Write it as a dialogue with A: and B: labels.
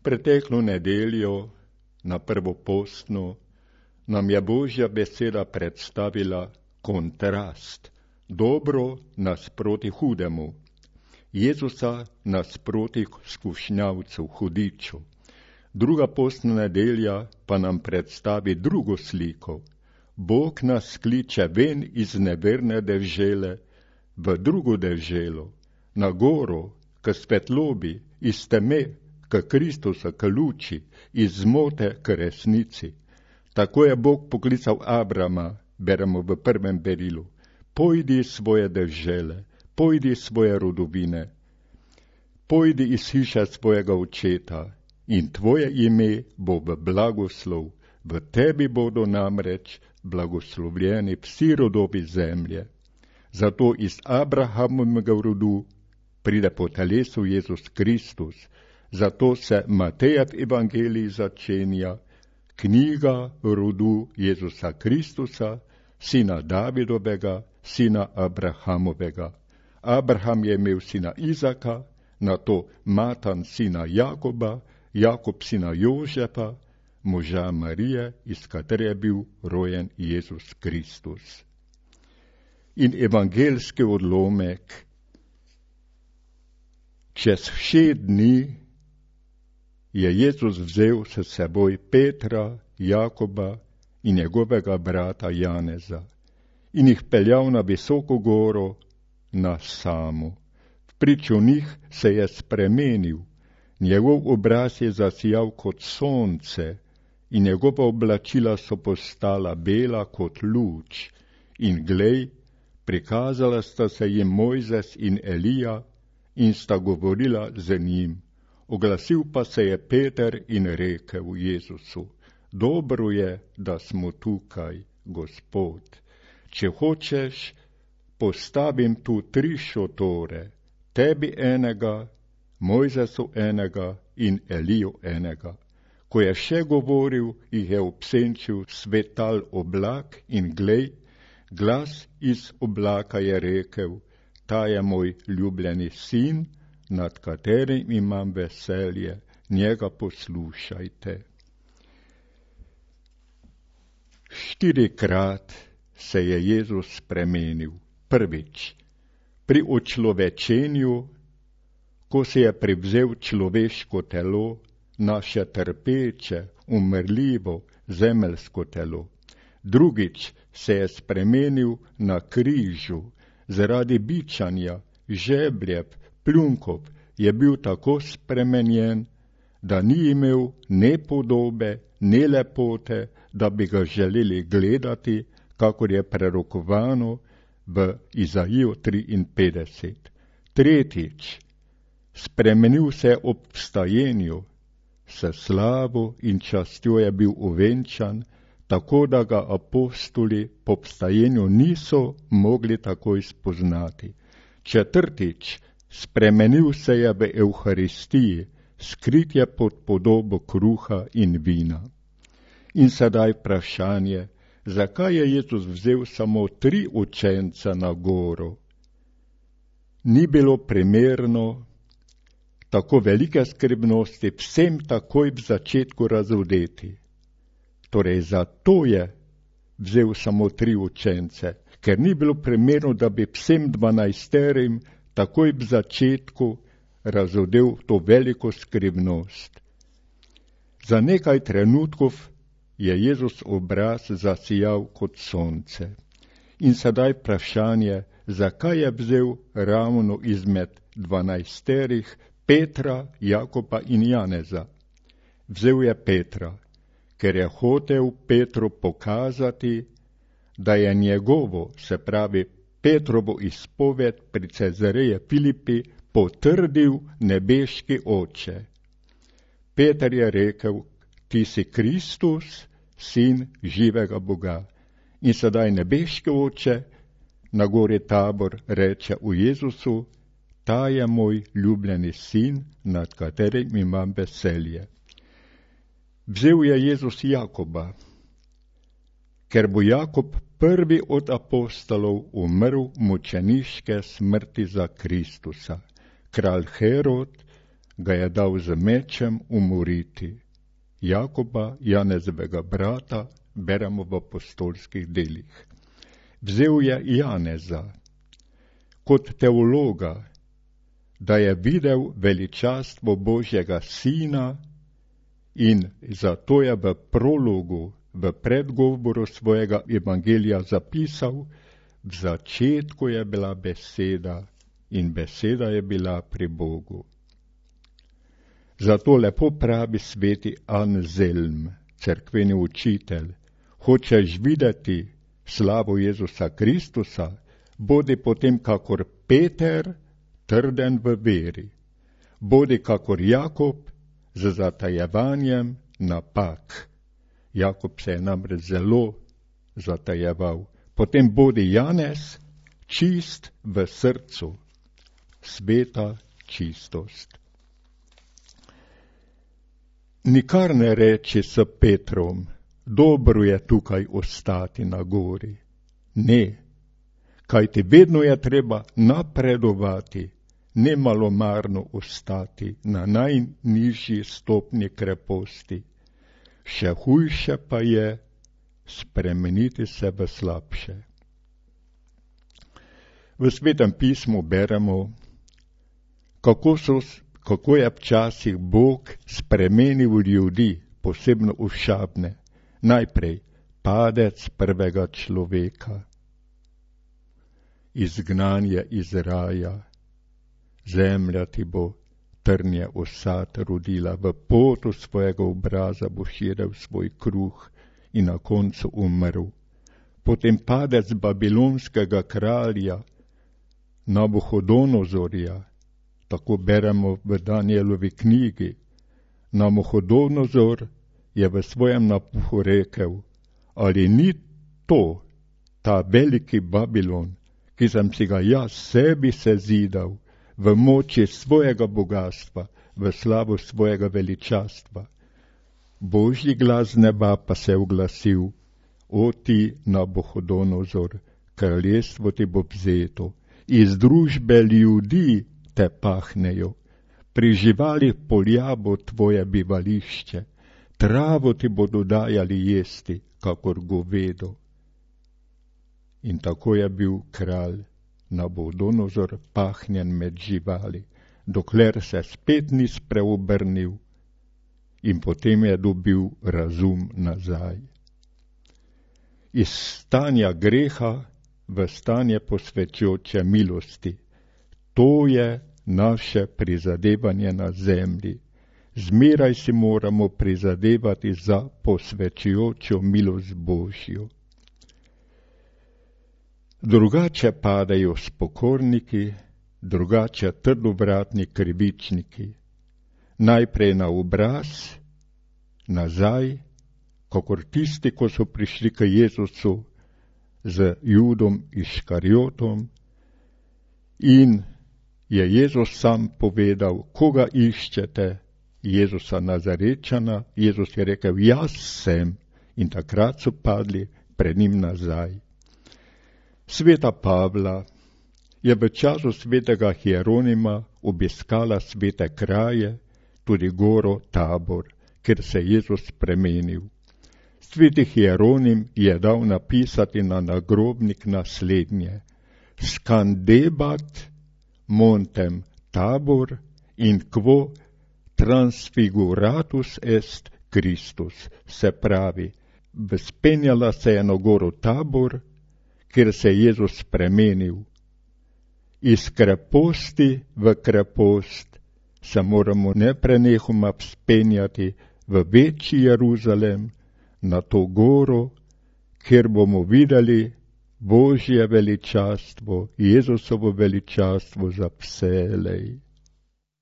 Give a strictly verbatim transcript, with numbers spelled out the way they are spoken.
A: Preteklo nedeljo, na prvopostno, nam je Božja beseda predstavila kontrast, dobro nasproti hudemu, Jezusa nasproti skušnjavcu, hudiču. Druga postna nedelja pa nam predstavi drugo sliko. Bog nas kliče ven iz neverne dežele v drugo deželo, na goro, k svetlobi, iz teme, k Kristusa, k luči, iz zmote k resnici. Tako je Bog poklical Abrama, beremo v prvem berilu. Pojdi iz svoje dežele, pojdi iz svoje rodovine, pojdi iz hiše svojega očeta in tvoje ime bo v blagoslov. V tebi bodo namreč blagoslovljeni vsi rodovi zemlje. Zato iz Abrahamovega rodu pride po telesu Jezus Kristus. Zato se Matejev evangelij začenja, knjiga rodu Jezusa Kristusa, sina Davidovega, sina Abrahamovega. Abraham je imel sina Izaka, nato Matan sina Jakoba, Jakob sina Jožefa, moža Marije, iz katere je bil rojen Jezus Kristus. In evangeljski odlomek. Čez šest dni je Jezus vzel s seboj Petra, Jakoba in njegovega brata Janeza in jih peljal na visoko goro, na samo. Vpriču njih se je spremenil, njegov obraz je zasijal kot sonce in njegova oblačila so postala bela kot luč. In glej, prikazala sta se jim Mojzes in Elija in sta govorila z njim. Oglasil pa se je Peter in rekel Jezusu: dobro je, da smo tukaj, Gospod. Če hočeš, postavim tu tri šotore, tebi enega, Mojzesu enega in Eliju enega. Ko je še govoril, jih je obsenčil svetal oblak in glej, glas iz oblaka je rekel: ta je moj ljubljeni sin, nad katerim imam veselje, njega poslušajte. Štirikrat se je Jezus spremenil. Prvič, pri očlovečenju, ko se je privzel človeško telo, naše trpeče, umrljivo, zemeljsko telo. Drugič se je spremenil na križu, zaradi bičanja, žebljev, pljunkov je bil tako spremenjen, da ni imel ne podobe, ne lepote, da bi ga želeli gledati, kakor je prerokovano v Izaiju triinpetdeset. Tretjič, spremenil se je ob vstajenju, s slavo in častjo je bil ovenčan, tako da ga apostoli po vstajenju niso mogli takoj spoznati. Četrtič, spremenil se je v Evharistiji, skrit je pod podobo kruha in vina. In sedaj vprašanje, zakaj je Jezus vzel samo tri učence na goro? Ni bilo primerno tako velike skrbnosti vsem takoj v začetku razodeti. Torej, zato je vzel samo tri učence, ker ni bilo primerno, da bi vsem dvanajsterim takoj v začetku razodel to veliko skrivnost. Za nekaj trenutkov je Jezus obraz zasijal kot sonce. In sedaj vprašanje, zakaj je vzel ravno izmed dvanajsterih Petra, Jakoba in Janeza. Vzel je Petra, ker je hotel Petru pokazati, da je njegovo, se pravi Petrovo izpoved pri Cezareji Filipi, potrdil nebeški Oče. Peter je rekel: ti si Kristus, sin živega Boga. In sedaj nebeški Oče na gori Tabor reče o Jezusu: ta je moj ljubljeni sin, nad katerim imam veselje. Vzel je Jezus Jakoba, ker bo Jakob prvi od apostolov umrl mučeniške smrti za Kristusa. Kralj Herod ga je dal z mečem umoriti. Jakoba, Janezovega brata, beremo v apostolskih delih. Vzel je Janeza kot teologa, da je videl veličastvo Božjega sina in zato je v prologu, v predgovoru svojega evangelija zapisal: v začetku je bila beseda in beseda je bila pri Bogu. Zato lepo pravi sveti Anzelm, cerkveni učitelj: hočeš videti slavo Jezusa Kristusa, bodi potem kakor Peter, trden v veri. Bodi kakor Jakob, z zatajevanjem napak. Jakob se je namreč zelo zatajeval. Potem bodi Janez, čist v srcu, sveta čistost. Nikar ne reči s Petrom: dobro je tukaj ostati na gori. Ne, kajti vedno je treba napredovati, ne malomarno ostati na najnižji stopnji kreposti. Še hujše pa je spremeniti se v slabše. V Svetem pismu beremo, kako, so, kako je včasih Bog spremenil ljudi, posebno ošabne. Najprej padec prvega človeka, izgnanje iz raja, zemlja ti bo trnje osad rodila, v potu svojega obraza boš jedel svoj kruh in na koncu umrl. Potem padec babilonskega kralja Nabuhodonozorja, tako beremo v Danielovi knjigi. Nabuhodonozor je v svojem napuhu rekel: ali ni to ta veliki Babilon, ki sem si ga jaz sebi sezidal v moči svojega bogatstva, v slavu svojega veličastva? Božji glas z neba pa se je oglasil: o ti Nabuhodonozor, kraljestvo ti bo vzeto, iz družbe ljudi te pahnejo, pri živalih polja bo tvoje bivališče, travo ti bodo dajali jesti, kakor govedo. In tako je bil kralj Nabuhodonozor pahnjen med živali, dokler se spet ni spreobrnil in potem je dobil razum nazaj. Iz stanja greha v stanje posvečujoče milosti. To je naše prizadevanje na zemlji. Zmeraj si moramo prizadevati za posvečujočo milost Božjo. Drugače padajo spokorniki, drugače trdovratni krivičniki. Najprej na obraz, nazaj, kakor tisti, ko so prišli k Jezusu z Judom Iškarjotom in je Jezus sam povedal: koga iščete? Jezusa Nazarečana. Jezus je rekel: jaz sem. In takrat so padli pred njim nazaj. Sveta Pavla je v času svetega Hieronima obiskala svete kraje, tudi goro Tabor, kjer se je Jezus spremenil. Sveti Hieronim je dal napisati na nagrobnik naslednje: scandebat montem Tabor in quo transfiguratus est Christus. Se pravi, vzpenjala se je na goro Tabor, kjer se je Jezus spremenil. Iz kreposti v krepost se moramo neprenehoma vzpenjati v večji Jeruzalem, na to goro, kjer bomo videli Božje veličastvo, Jezusovo veličastvo za vselej.